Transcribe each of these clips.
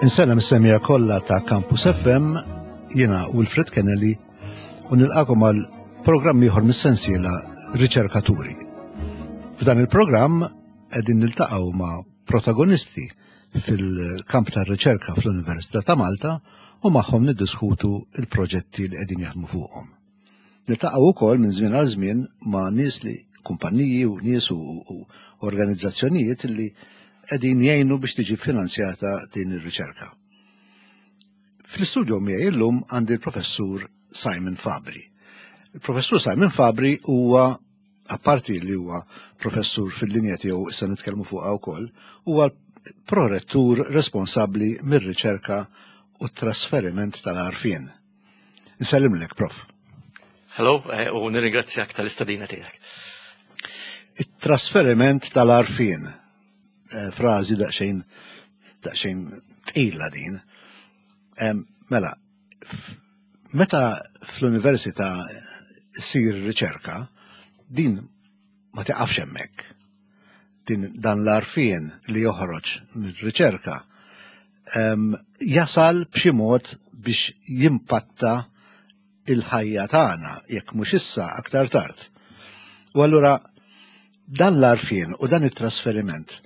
Insellem is-semija kollha ta' Campus FM, jiena Wilfred Kennelly u nilqakom għal programm ieħor mis-sensiela Riċerkaturi. F'dan il-programm qegħdin niltaqgħu ma' protagonisti fil-kamp tar-riċerka fl-Università ta' Malta u magħhom niddiskutu il-proġetti li qegħdin jaħdmu fuqhom. Niltaqgħu wkoll minn żmien għal żmien ma' nies li kumpaniji u nies u, u organizzazzjonijiet li qegħdin jgħinu biex tiġi finanzjata din ir-riċerka. Fl-istudio miegħi illum għandi l-professur Simon Fabri. Il-professur Simon Fabri huwa apparti li huwa professur fil-linja tiegħu issa nitkellmu fuqha wkoll, huwa prorettur responsabbli mir-riċerka u t-trasferiment tal-għarfien. Nsellimlek, prof. Hello, eh, u nirringrazzjak tal-istadina tiegħek. It-trasferiment tal-għarfien, eh, frażi daqsxejn daqsxejn tqila din. Mela, meta fl-università ssir riċerka, din ma tiqafx hemmhekk. Din dan l-għarfien li joħroġ mir-riċerka jasal b'xi mod biex jimpatta il-ħajja tagħna jekk mhux issa aktar tard. U allura dan l-għarfien u dan it-trasferiment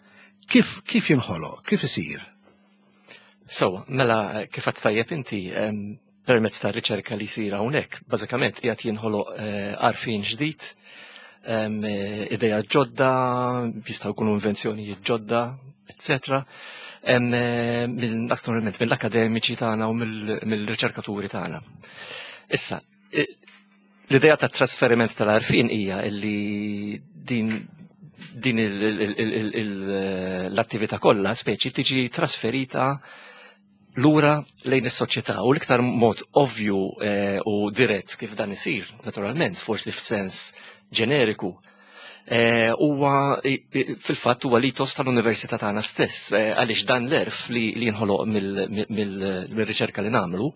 kif kif jinħoloq, kif isir? So, mela kif għad tajjeb inti permezz ta' riċerka li jsir hawnhekk, bażikament qiegħed jinħoloq eh, għarfien ġdid, eh, ideja ġodda, jistgħu jkunu invenzjonijiet ġodda, etc. Eh, Aktualment mill-akademiċi tagħna u mill-riċerkaturi tagħna. Issa, l-idea ta' trasferiment tal-għarfien hija li din din l-attività kollha speċi tiġi trasferita lura lejn is-soċjetà u l-iktar mod ovvju eh, u dirett kif dan isir, naturalment, forsi f'sens ġeneriku, eh, huwa fil-fatt huwa litos tal-università tagħna stess, eh, għaliex dan l-erf li jinħoloq mill-riċerka li nagħmlu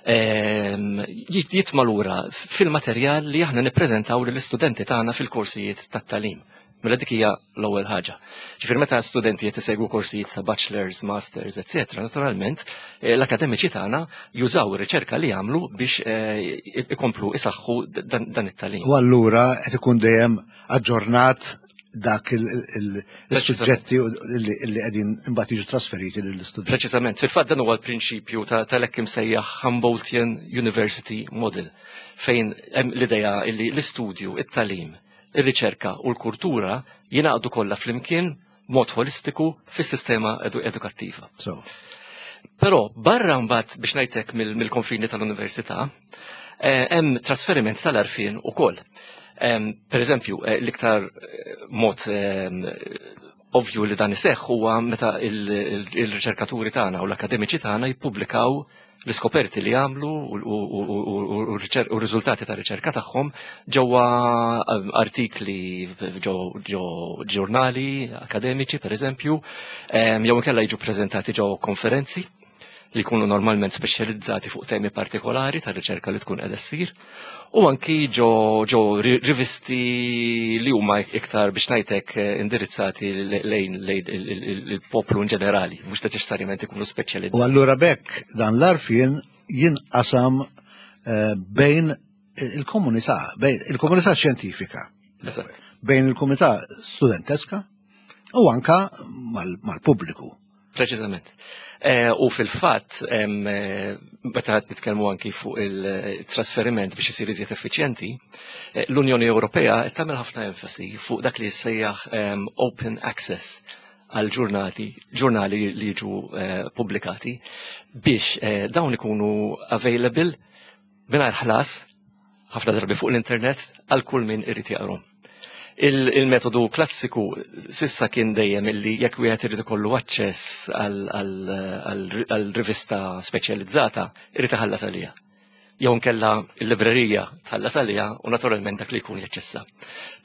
ehm, jitma' lura fil-materjal li aħna nippreżentaw lill-istudenti tagħna fil-korsijiet tat-tagħlim. Mela dik hija l-ewwel ħaġa. Ġifier meta studenti qed isegwu korsijiet ta' bachelors, masters, etc., naturalment eh, l-akademiċi tagħna jużaw ir-riċerka li jagħmlu biex eh, ikomplu isaħħu dan it-tagħlim. U allura qed ikun dejjem aġġornat dak il-suġġetti li qegħdin imbagħad jiġu trasferiti lill-istudenti. Preċiżament, fil-fatt dan huwa l-prinċipju tal-hekk imsejjaħ Humboldtian University Model fejn hemm l-idea li l-istudju, it-tagħlim, ir-riċerka u l-kultura jingħaqdu kollha flimkien mod holistiku fis-sistema edukattiva. So. Però barra mbagħad biex ngħidlek mill-konfini tal-università, eh, hemm trasferiment tal-arfien ukoll. Per eżempju, eh, l-iktar eh, mod ovvju li dan iseħħ huwa meta il-riċerkaturi tagħna u l-akademiċi tagħna jippubblikaw l-iskoperti li għamlu u r-riżultati ta' riċerka tagħhom ġewwa ehm, artikli ġo ġurnali akademiċi pereżempju, ehm, jew inkella jiġu preżentati ġo konferenzi li jkunu normalment speċjalizzati fuq temi partikolari ta' riċerka li tkun qiegħda ssir, u anki ġo, ġo rivisti li huma iktar biex ngħidlek eh, indirizzati lejn lejn il-poplu in ġenerali, mhux neċessarjament ikunu speċjalizzati. U allura bekk dan l-arfien jinqasam eh, bejn il-komunità, bejn il-komunità xjentifika, bejn il-komunità studenteska u anka mal-pubbliku. Preċiżament. Eh, u fil-fatt, eh, meta qed nitkellmu anki fuq il-trasferiment biex isir iżjed effiċjenti, eh, l-Unjoni Ewropea qed tagħmel ħafna enfasi fuq dak li jissejjaħ open access għal ġurnati, ġurnali li jiġu pubblikati biex dawn ikunu available mingħajr ħlas ħafna drabi fuq l-internet għal kull min irid jaqrom. Il-metodu klassiku sissa kien dejjem illi jekk wieħed irid ikollu aċċess għal rivista speċjalizzata, irid iħallas għaliha. Jew nkella l-librerija tħallas għaliha u naturalment dak li jkun jaċċessa.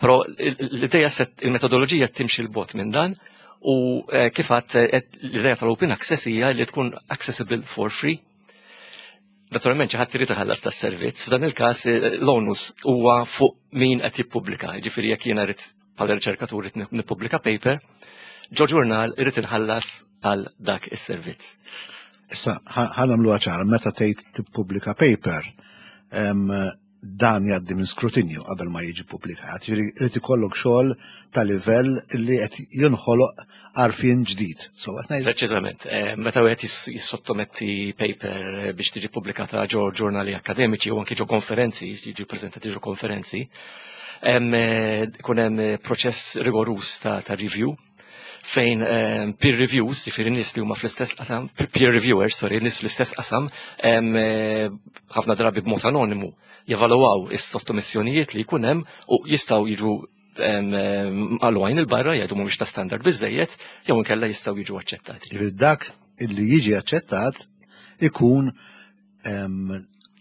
Però l-idea il-metodoloġija timxi l-bot minn dan u eh, kif għadt eh, l-idea tal-open access hija li tkun accessible for free. Naturalment xi ħadd irid iħallas tas-servizz, f'dan il-każ eh, l-onus huwa fuq min qed jippubblika, jiġifieri jekk jiena rrid bħala riċerkatur irid nippubblika paper, ġo ġurnal irid inħallas għal dak is-servizz. Issa, ħa nagħmluha ċara, meta tgħid tippubblika paper, dan jgħaddi minn skrutinju qabel ma jiġi pubblikat. Jiġifieri irid ikollok xogħol ta' livell li qed jinħoloq għarfien ġdid. So, Preċiżament, eh, meta wieħed jissottometti paper eh, biex tiġi pubblikata ġo ġurnali akademiċi u anki ġo konferenzi, jiġi preżentati ġo konferenzi, eh, ikun hemm proċess rigorus ta' review fejn ehm, peer reviews, jiġifieri nies li huma fl-istess qasam, peer reviewers, sorry, nies fl-istess qasam, ehm, eh, ħafna drabi b'mod anonimu, jevalwaw is-sottomissjonijiet li jkun hemm u jistgħu jiġu ehm, għalwajn il-barra jgħidu mhumiex ta' standard biżejjed jew inkella jistgħu jiġu aċċettati. Jiġifieri dak illi jiġi aċċettat ikun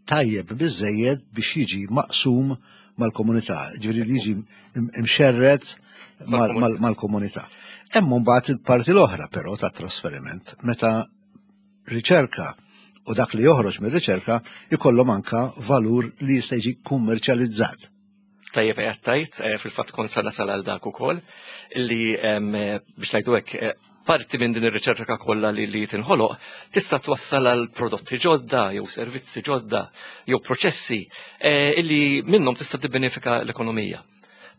tajjeb biżejjed biex jiġi maqsum mal-komunità, ġifieri li jiġi imxerred mal-komunità. Hemm mbagħad il-parti l-oħra però ta' trasferiment, meta riċerka u dak li joħroġ mir-riċerka ikollhom anka valur li jista' jiġi kummerċjalizzat. Tajjeb qed tajt, eh, fil-fatt kont sa nasal għal dak ukoll, li eh, biex ngħidu hekk eh, parti minn din ir-riċerka kollha li, li tinħoloq tista' twassal għal prodotti ġodda jew servizzi ġodda jew proċessi illi minnhom tista' tibbenefika l-ekonomija.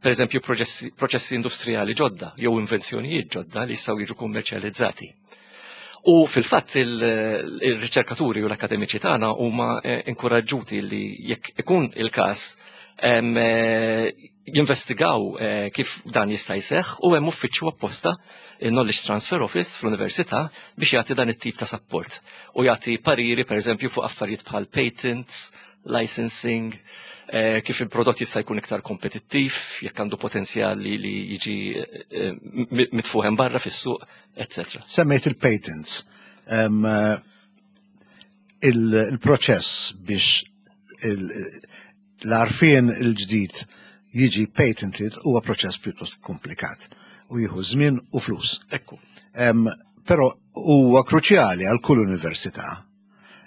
Per eżempju, proċessi industrijali ġodda jew invenzjonijiet ġodda li jistgħu jiġu kummerċjalizzati. U fil-fatt il-riċerkaturi u l-akademiċi tagħna huma eh, inkoraġġuti li jekk ikun il-każ eh, jinvestigaw eh, kif dan jista' jseħħ u hemm uffiċċju apposta il-Knowledge Transfer Office fl-Università biex jagħti dan it-tip ta' support u jagħti pariri pereżempju fuq affarijiet bħal patents, licensing, kif il-prodott jista' jkun iktar kompetittiv, jekk għandu potenzjal li jiġi mitfuħem barra fis-suq, etc. Semmejt il-patents. Eh, il-proċess biex l-arfien il-ġdid jiġi patented huwa proċess pjuttost komplikat u jieħu żmien u flus. Ekku. Però huwa kruċjali għal kull università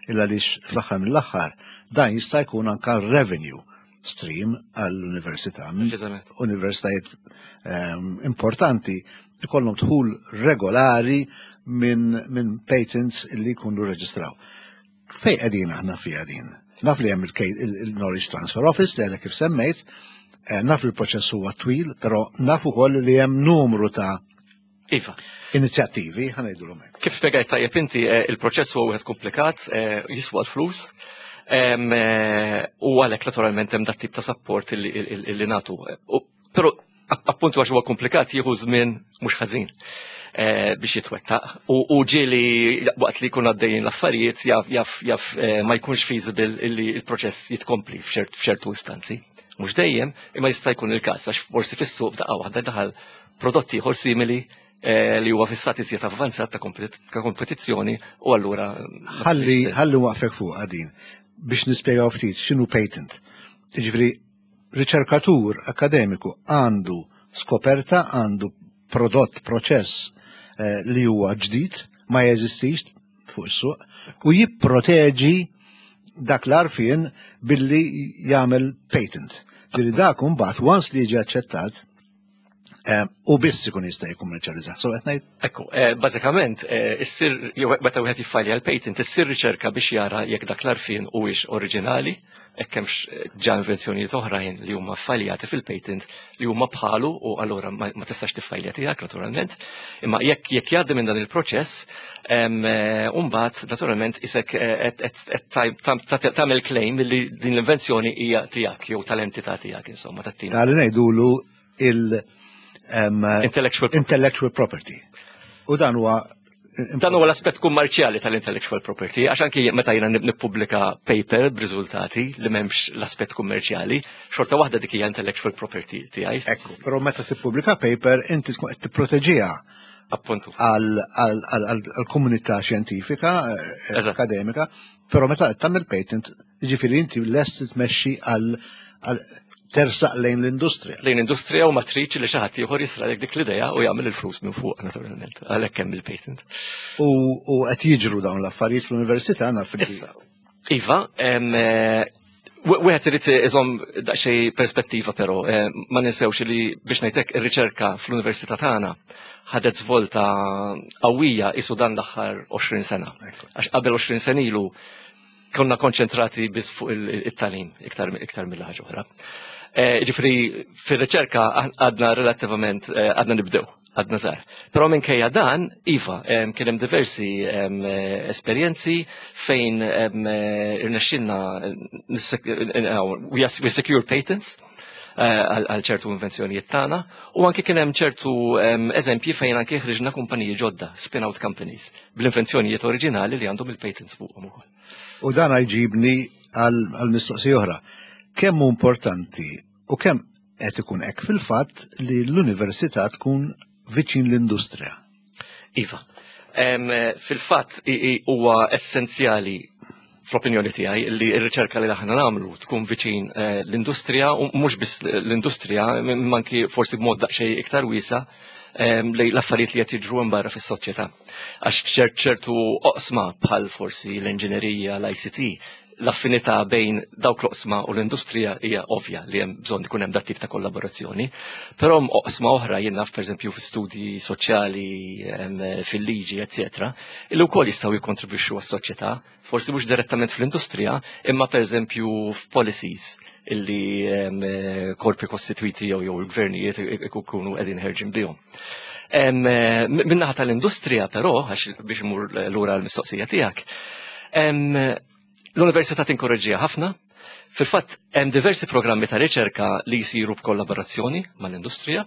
illa għaliex fl-aħħar mill-aħħar dan jista' jkun anka revenue stream għall-università. Universitajiet ehm, importanti ikollhom dħul regolari minn min patents li jkunu reġistraw. Fej qegħdin aħna fiha din? Naf li hemm il-Knowledge Transfer Office li għadha kif semmejt, eh, naf li l-proċess huwa twil, però naf ukoll li hemm numru ta' Iva. Inizjattivi, ħanajdulhom hekk. Kif spjegajt tajjeb inti, eh, il-proċess huwa wieħed komplikat, eh, jiswa l-flus, eh, u għalhekk naturalment hemm dat tip ta' support li nagħtu. Però appuntu għax huwa komplikat jieħu żmien mhux ħażin biex jitwettaq. U ġieli waqt li jkun għaddejjin l-affarijiet jaf jaf ma jkunx feasible illi il-proċess jitkompli f'ċertu istanzi. Mhux dejjem, imma jista' jkun il-każ għax forsi fis-suq f'daqqa waħda daħal prodott ieħor simili eh, li huwa fi stat iżjed avvanzat ta' kompetizzjoni u allura. Ħalli ħalli waqfek fuq din biex nispjegaw ftit x'inhu patent. Jiġifieri riċerkatur akademiku għandu skoperta, għandu prodott, proċess eh, li huwa ġdid, ma jeżistix fuq is-suq u jipproteġi dak l-arfien billi jagħmel patent. Ġifieri dak imbagħad once li jiġi aċċettat Eh, u biss ikun jista' jikkummerċjalizzah. So qed ngħid. Ekku, eh, bażikament eh, issir jew meta wieħed jiffajlja l-patent issir riċerka biex jara jekk dak l-arfien huwiex oriġinali, hekk hemmx ġa invenzjonijiet oħrajn li huma ffaljati fil-patent li huma bħalu u allura ma tistax tiffajlja tiegħek naturalment. Imma jekk jekk jgħaddi minn dan il-proċess, mbagħad naturalment isek qed tagħmel claim li din l-invenzjoni hija tiegħek jew tal-entità tiegħek insomma tat-tim. Tali ngħidulu il- intellectual, intellectual property. U dan huwa Dan huwa l-aspett kummerċjali tal-intellectual property, għax anki meta jiena nippubblika paper b'riżultati li m'hemmx l-aspett kummerċjali, xorta waħda dik hija intellectual property tiegħi. Ekku, però meta tippubblika paper inti tkun qed tipproteġiha Appuntu. Għal-komunità xjentifika, eh, akademika, però meta qed tagħmel patent, jiġifieri inti lest tmexxi għal tersaq lejn l-industrija. Lejn l-industrija u matriċi li xi ħadd ieħor jisralek dik l-idea u jagħmel il-flus minn fuq naturalment, għalhekk hemm il-patent. U qed jiġru dawn l-affarijiet fl-università naf Issa, Iva, eh, Wieħed irid iżomm daqsxejn perspettiva però, eh, ma ninsewx li biex ngħidlek ir-riċerka fl-università tagħna ħadet żvolta qawwija isu dan l-aħħar 20 sena. Għax qabel 20 sena ilu konna konċentrati biss fuq it-talim iktar iktar mill-ħaġa oħra. Eh, ġifri, fir-riċerka għadna relattivament eh, għadna nibdew għadna żgħar. Però minkejja dan, iva, kien hemm diversi esperjenzi fejn irnexxilna we secure patents eh, għal ċertu invenzjonijiet tagħna u anke kien hemm ċertu eżempji fejn anke ħriġna kumpaniji ġodda, spin-out companies, bl-invenzjonijiet oriġinali li għandhom il-patents fuqhom ukoll. U dan jġibni għal mistoqsija oħra. Kemm hu importanti u kemm qed ikun hekk fil-fatt li l-università tkun viċin l-industrija? Iva. Fil-fatt huwa essenzjali fl-opinjoni tiegħi li r-riċerka li aħna nagħmlu tkun viċin eh, l-industrija u mhux biss l-industrija manki forsi b'mod daqsxejn iktar wiesa li l-affarijiet li qed jiġru hemm barra fis-soċjetà. Għax ċertu oqsma bħal forsi l-inġinerija, l-ICT, l-affinità bejn dawk l-oqsma u l-industrija hija ovvja li hemm bżonn ikun hemm dat tip ta' kollaborazzjoni. Però hemm oqsma oħra jien naf pereżempju fi studji soċjali, fil-liġi, eċetera, illi wkoll jistgħu jikkontribwixxu għas-soċjetà, forsi mhux direttament fl-industrija, imma pereżempju f'policies illi korpi kostitwiti jew jew il-gvernijiet ikunu qegħdin ħerġin bihom. Min-naħa tal-industrija però, għax biex imur lura l-mistoqsija tiegħek, l-università tinkoraġġiha ħafna. Fil-fatt hemm diversi programmi ta' riċerka li jsiru b'kollaborazzjoni mal-industrija.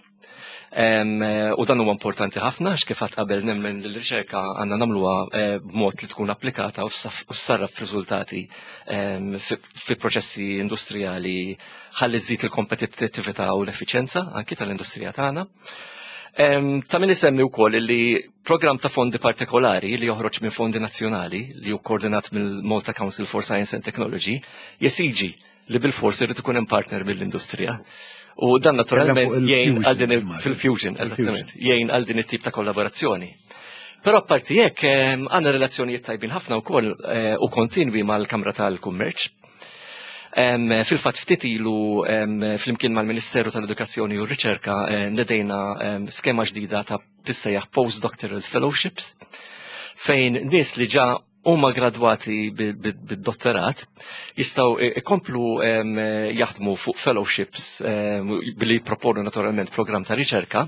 U dan huwa importanti ħafna għax kif qabel nemmen li l-riċerka għandna nagħmluha eh, b'mod li tkun applikata u ssarraf f'riżultati fi proċessi industrijali ħalli żżid il-kompetittività u l-effiċjenza anki tal-industrija tagħna. Ta' min isemmi wkoll li programm ta' fondi partikolari li joħroġ minn fondi nazzjonali li hu koordinat mill-Malta Council for Science and Technology jesiġi li bil-fors irid ikun hemm partner mill-industrija. U dan naturalment jgħin għal din fil-fusion, eżattament, jgħin għal din it-tip ta' kollaborazzjoni. Però apparti hekk għandna relazzjonijiet tajbin ħafna wkoll eh, u kontinwi mal-Kamra tal-Kummerċ. Fil-fatt ftit ilu flimkien mal-Ministeru tal-Edukazzjoni u r-Riċerka eh, nedejna skema ġdida ta' tissejjaħ postdoctoral fellowships fejn nies li ġa huma gradwati bid-dottorat jistgħu ikomplu jaħdmu fuq fellowships billi jipproponu naturalment programm ta' riċerka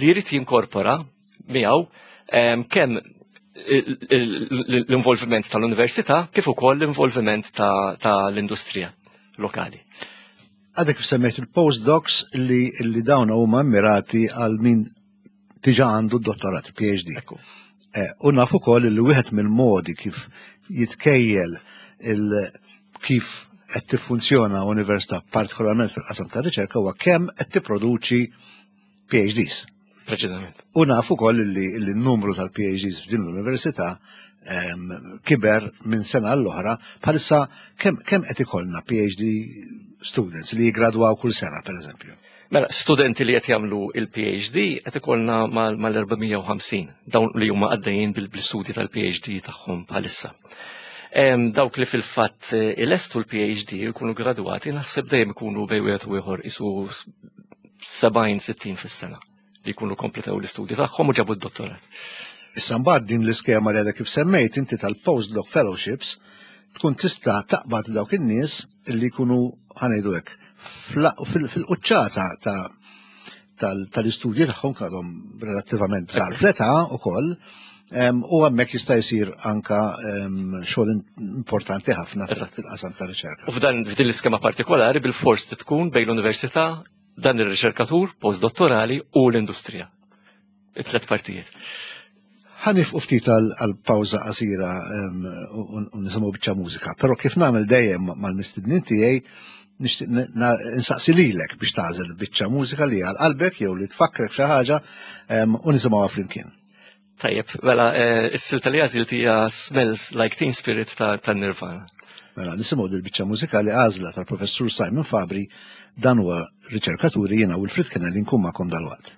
li jrid jinkorpora miegħu kemm l-involviment tal-università kif ukoll l-involviment tal-industrija lokali. Għadek semmejt il-postdocs li, li dawn huma immirati għal min diġa għandu d-dottorat, PhD. Eh, u naf ukoll li wieħed mill-modi kif jitkejjel il kif qed tiffunzjona università partikolarment fil-qasam ta' riċerka huwa kemm qed tipproduċi PhDs. Preċiżament. U naf ukoll li n-numru tal-PhDs f'din l-università ehm, kiber minn sena l-oħra, bħalissa kemm qed ikollna PhD students li jigradwaw kull sena, per eżempju? Mela, studenti li qed jagħmlu il-PhD qed ikollna mal-450 dawn li huma għaddejjin bil-istudji tal-PhD tagħhom bħalissa. Dawk li fil-fatt eh, ilestu l-PhD jkunu gradwati naħseb dejjem ikunu bej wieħed u ieħor isu 70-60 fis-sena li jkunu kompletaw l-istudji tagħhom u ġabu d-dottorat. Issa mbagħad din l-iskema li għadha kif semmejt inti tal-postdoc fellowships tkun tista' taqbad dawk in-nies li jkunu ħanejdu hekk fil-quċċata ta' tal-istudji tagħhom għadhom relattivament żgħar fl-età ukoll u hemmhekk jista' jsir anka xogħol importanti ħafna fil-qasam ta' riċerka. U f'dan f'din l-iskema partikolari bil-fors tkun bejn l-università, dan ir-riċerkatur postdottorali u l-industrija. It-tlet partijiet. Ħanifqu ftit għal pawża qasira u nisimgħu biċċa mużika, però kif nagħmel dejjem mal-mistednin tiegħi nixtieq insaqsi lilek biex tagħżel biċċa mużika li għal qalbek jew li tfakkrek xi ħaġa u nisimgħuha flimkien. Tajjeb, mela eh, is-silta li għażilt hija Smells Like Teen Spirit ta' Nirvana. Mela nisimgħu dil biċċa mużikali għażla tal-Professur Simon Fabri dan huwa riċerkaturi jiena Wilfrid Kennelly nkun magħkom dalwaqt.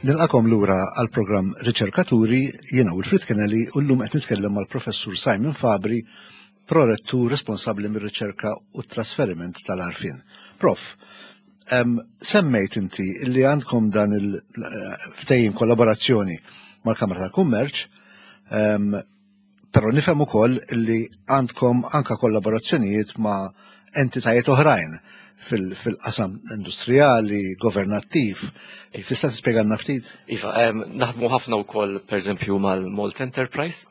Nilqakom lura għal programm Riċerkaturi, jiena Wilfrid Kennelly u llum qed nitkellem mal-Professur Simon Fabri, prorettur responsabbli mir-riċerka u t-trasferiment tal-għarfien. Prof, semmejt inti li għandkom dan il-ftehim kollaborazzjoni mal-Kamra tal-Kummerċ, Però nifhem ukoll li għandkom anka kollaborazzjonijiet ma' entitajiet oħrajn fil-qasam industrijali, governattiv. Tista' tispjegalna ftit? Iva, naħdmu ħafna wkoll pereżempju mal-Malt Enterprise,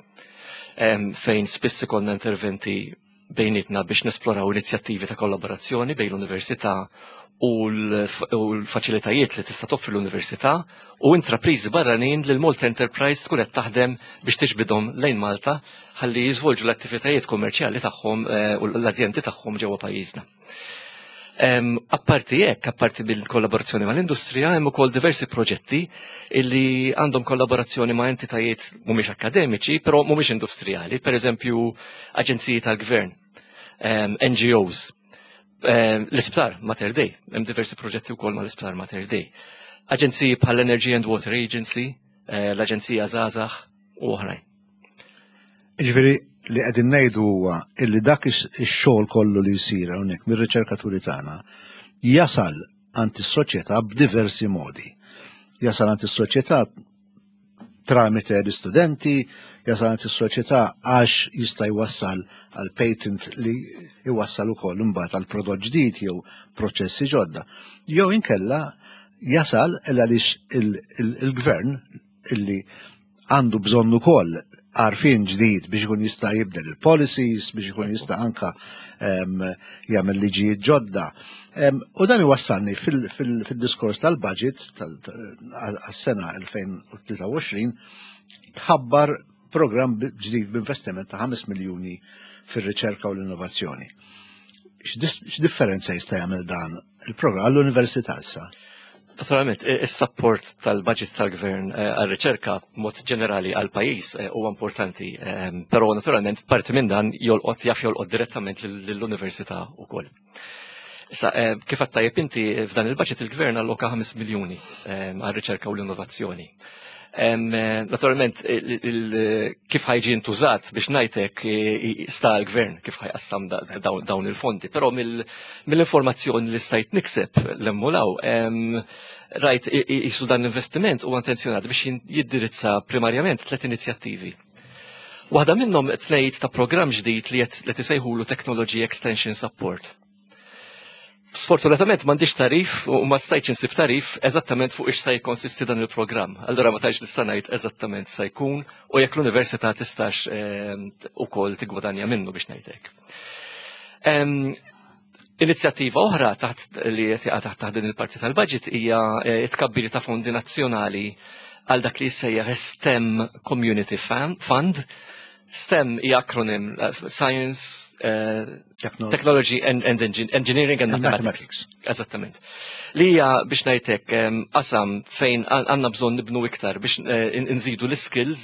fejn spiss ikollna interventi bejnietna biex nesploraw inizjattivi ta' kollaborazzjoni bejn l-università u l-faċilitajiet li tista' toffri l-università u intrapriżi barranin li l-Malta Enterprise tkun qed taħdem biex tiġbidhom lejn Malta ħalli jiżvolġu l-attivitajiet kummerċjali tagħhom eh, u l-azjendi tagħhom ġewwa pajjiżna. Apparti hekk, apparti bil-kollaborazzjoni mal-industrija, hemm ukoll diversi proġetti illi għandhom kollaborazzjoni ma' entitajiet mhumiex akademiċi, però mhumiex industrijali, pereżempju aġenziji tal-gvern, NGOs, l-isptar Mater Dei, hemm diversi proġetti wkoll mal-isptar Mater Dei. Aġenziji bħal Energy and Water Agency, eh, l-Aġenzija Żgħażagħ u oħrajn. Ġifieri li qegħdin ngħidu huwa illi dak ix-xogħol kollu li jsir hawnhekk mir-riċerkaturi tagħna jasal għand is-soċjetà b'diversi modi. Jasal għand is-soċjetà tramite l-istudenti, jasal għand is-soċjetà għax jista' jwassal għal patent li jwassal ukoll imbagħad għal prodott ġdid jew proċessi ġodda. Jew inkella jasal għaliex il-gvern illi għandu bżonn ukoll għarfien ġdid biex ikun jista' jibdel il-policies, biex ikun jista' anka jagħmel liġijiet ġodda. U dan iwassalni fil-diskors tal-budget għas-sena 2023 tħabbar programm ġdid b'investiment ta' 5 miljuni fir-riċerka u l-innovazzjoni. X'differenza jista' jagħmel dan il-programm għall-università issa? Naturalment, is-support tal-budget tal-gvern eh, għal-riċerka mod ġenerali għal-pajjiż eh, huwa importanti, eh, però naturalment parti minn dan jolqot jaf jolqot direttament lill-università wkoll. Issa, kif għad tajjeb inti f'dan il-budget il-gvern alloka 5 miljuni għal-riċerka u l-innovazzjoni. Naturalment, kif ħajġi intużat biex ngħidlek sta l-gvern kif ħajqassam dawn il-fondi, però mill-informazzjoni li stajt nikseb l-emmulaw, rajt jisu dan l-investiment u intenzjonat biex jiddirizza primarjament tlet inizjattivi. Waħda minnhom tnejt ta' programm ġdid li qed isejħulu Technology Extension Support. Sfortunatament m'għandix tarif u ma stajtx insib tarif eżattament fuq ix se jikkonsisti dan il-programm. Allura ma tajx nista' ngħid eżattament se jkun u jekk l-università tistax ehm, ukoll tigwadanja minnu biex ngħidlek. Ehm, inizjattiva oħra taħt li qed taħt taħt din il-parti tal-budget hija eh, tkabbir ta' fondi nazzjonali għal dak li jissejjaħ STEM Community Fund STEM hija akronym eh, Science, uh, Technology and, and Engineering and, and Mathematics. Mathematics. Eżattament. Li hija biex ngħidlek qasam fejn għandna bżonn nibnu iktar biex eh, nżidu l-skills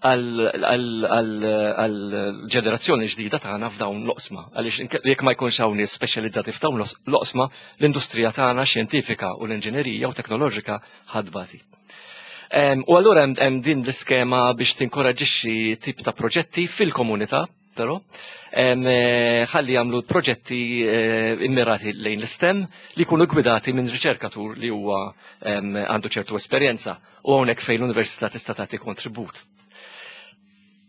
għal-ġenerazzjoni ġdida tagħna f'dawn l-oqsma. Għaliex jekk ma jkunx hawn nies speċjalizzati f'dawn l-oqsma, l-industrija tagħna xjentifika u l-inġinerija u teknoloġika ħadbati. U allura hemm din l-iskema biex tinkoraġixxi tip ta' proġetti fil-komunità, però, eh, ħalli jagħmlu proġetti eh, immirati lejn l-istem li jkunu gwidati minn riċerkatur li huwa għandu ċertu esperjenza u hawnhekk fejn l-università tista' tagħti kontribut.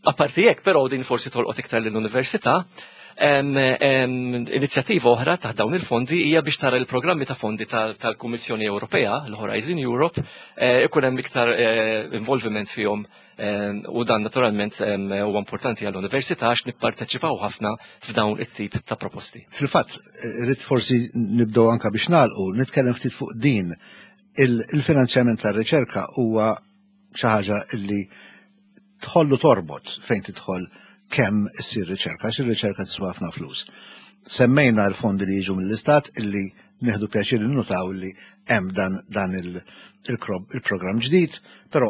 Apparti hekk, però din forsi tolqot iktar lill-università, inizjattiva oħra taħt dawn il-fondi hija biex tara l-programmi ta' fondi tal-Kummissjoni Ewropea, l-Horizon Europe, eh, ikun hemm iktar eh, involviment fihom u dan naturalment huwa importanti għall-università għax nipparteċipaw ħafna f'dawn it-tip ta' proposti. Fil-fatt, rrid forsi nibdew anka biex nagħlqu, nitkellem ftit fuq din il-finanzjament tar-riċerka huwa xi ħaġa illi tħollu torbot fejn tidħol kemm issir riċerka, għax ir-riċerka tiswa ħafna flus. Semmejna l-fondi li jiġu mill-istat illi nieħdu pjaċir nnotaw li hemm dan, dan il-programm ġdid, però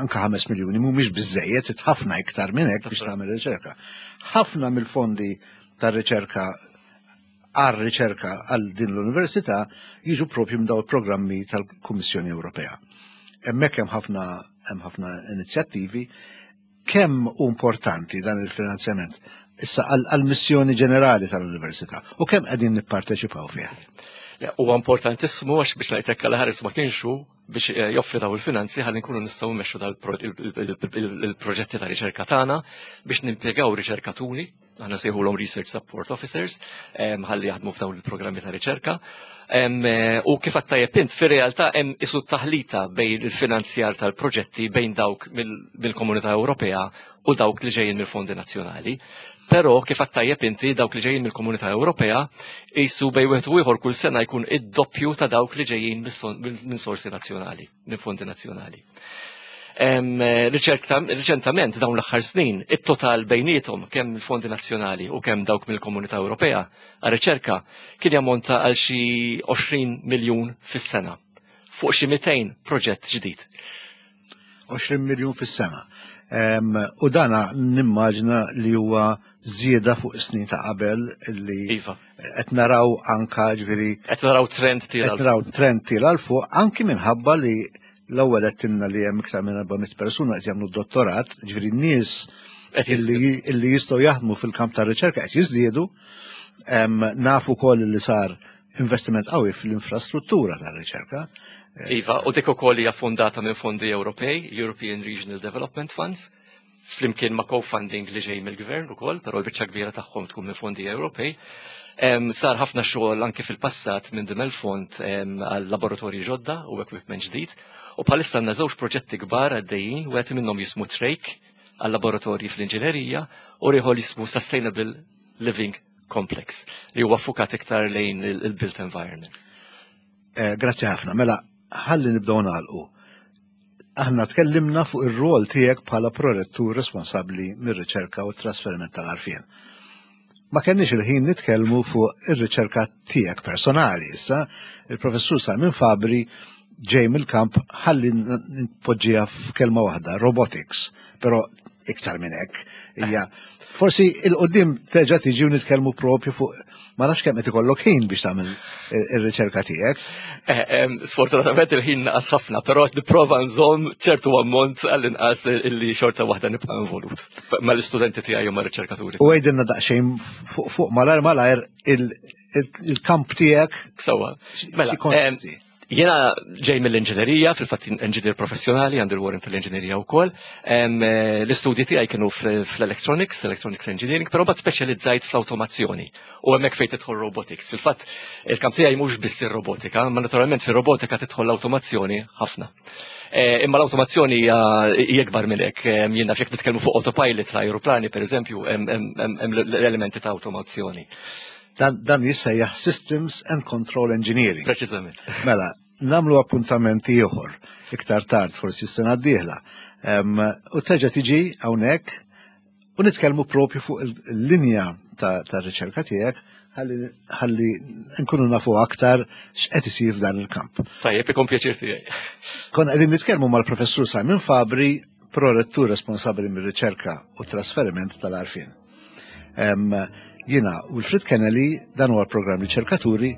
anka 5 miljuni mhumiex biżejjed ħafna iktar minn hekk biex tagħmel riċerka. Ħafna mill-fondi tar-riċerka għar-riċerka għal din l-università jiġu propju minn dawn il-programmi tal-Kummissjoni Ewropea. Hemmhekk hemm ħafna hemm ħafna inizjattivi. Kemm hu importanti dan il-finanzjament issa għall-missjoni ġenerali tal-università u kemm qegħdin nipparteċipaw fih? Huwa importantissimu għax biex ngħidlek għal ħares ma kienx hu biex eh, joffri daw il-finanzi ħalli nkunu nistgħu mmexxu dal-proġetti ta' riċerka tagħna biex nimpjegaw riċerkaturi, aħna sejħulhom Research Support Officers, ħalli jaħdmu f'dawn il-programmi ta' riċerka. Eh, u kif għattajjeb int, fir-realtà hemm isu taħlita bejn il-finanzjar tal-proġetti bejn dawk mill-Komunità Ewropea u dawk li ġejjin mill-fondi nazzjonali. Però kif għattajjeb inti dawk li ġejjin mill-Komunità Ewropea jisu bej wieħed u ieħor kull sena jkun id-doppju ta' dawk li ġejjin minn sorsi nazzjonali, minn fondi nazzjonali. Eh, riċentament dawn l-aħħar snin, it-total bejniethom kemm il-fondi nazzjonali u kemm dawk mill-Komunità Ewropea għar-riċerka kien jammonta għal xi 20 miljun fis-sena fuq xi 200 proġett ġdid. 20 miljun fis-sena. U dana nimmaġna li huwa żieda fuq snin ta' qabel li iva. qed naraw anka ġifieri qed naraw trend tiela. Qed naraw trend tiela l fuq anki minħabba li l-ewwel qed tinna li hemm iktar minn 400 persuna qed jagħmlu dottorat, ġifieri nies illi jistgħu jaħdmu fil-kamp tar-riċerka qed jiżdiedu. Nafu wkoll li sar investiment qawwi fl-infrastruttura tar-riċerka. Iva, u dik ukoll hija fondata minn fondi Ewropej, European Regional Development Funds, flimkien ma' co-funding li ġej mill-gvern ukoll, però l-biċċa kbira tagħhom tkun minn fondi Ewropej. Sar ħafna xogħol anke fil-passat minn din il-fond għal laboratorji ġodda u equipment ġdid. U bħalissa għandna żewġ proġetti kbar għaddejjin, wieħed minnhom jismu Trake għal laboratorji fl-inġinerija u ieħor jismu Sustainable Living Complex li huwa fukat iktar lejn il-built environment. Eh, grazzi ħafna. Mela, ħalli nibdew nagħlqu. Aħna tkellimna fuq ir-rol tiegħek bħala prorettur responsabbli mir-riċerka u t-trasferiment tal-arfien. Ma kenniex il-ħin nitkellmu fuq ir-riċerka tiegħek personali issa, il-professur Simon Fabri ġej mill-kamp ħalli npoġġiha f'kelma waħda, robotics, però iktar minn hekk hija forsi il-qudiem terġa' tiġi u nitkellmu propju fuq ma nafx kemm qed ikollok ħin biex tagħmel ir-riċerka tiegħek. Eh, sfortunatament il-ħin naqas ħafna, però nipprova nżomm ċertu ammont għall-inqas illi xorta waħda nibqa' involut mal-istudenti tiegħi u mar-riċerkaturi. U għidilna daqsxejn fuq fuq malajr malajr il-kamp tiegħek. Sewwa. Mela, Jena ġej mill-inġinerija, fil-fatt inġinier professjonali, għandi l-warrant tal-inġinerija wkoll. Eh, l-istudji tiegħi kienu fl-electronics, electronics engineering, però bad speċjalizzajt fl-automazzjoni u hemmhekk fejn tidħol robotics. Fil-fatt il-kamp tiegħi mhux biss ir-robotika, ma naturalment fir-robotika tidħol l-automazzjoni ħafna. Eh, imma l-automazzjoni hija ikbar minn hekk. Jien naf jekk nitkellmu fuq autopilot l-ajruplani pereżempju, hemm l-elementi ta' automazzjoni. Dan, dan jissejjaħ Systems and Control Engineering. Preċiżament. Mela, namlu appuntament ieħor iktar tard forsi s-sena d-dieħla. U terġa' tiġi hawnhekk u nitkellmu propju fuq il-linja ta' riċerka tiegħek ħalli nkunu nafu aktar x'qed isir f'dan il-kamp. Tajjeb, ikun pjaċir tiegħi. Konna qegħdin nitkellmu mal-Professur Simon Fabri, prorettur responsabbli mir-riċerka u trasferiment tal-arfin. Jiena Wilfred Kennelly, dan huwa l-programm Riċerkaturi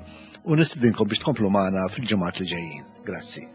u nistidinkom biex tkomplu magħna fil-ġimgħat li ġejjin. Grazzi.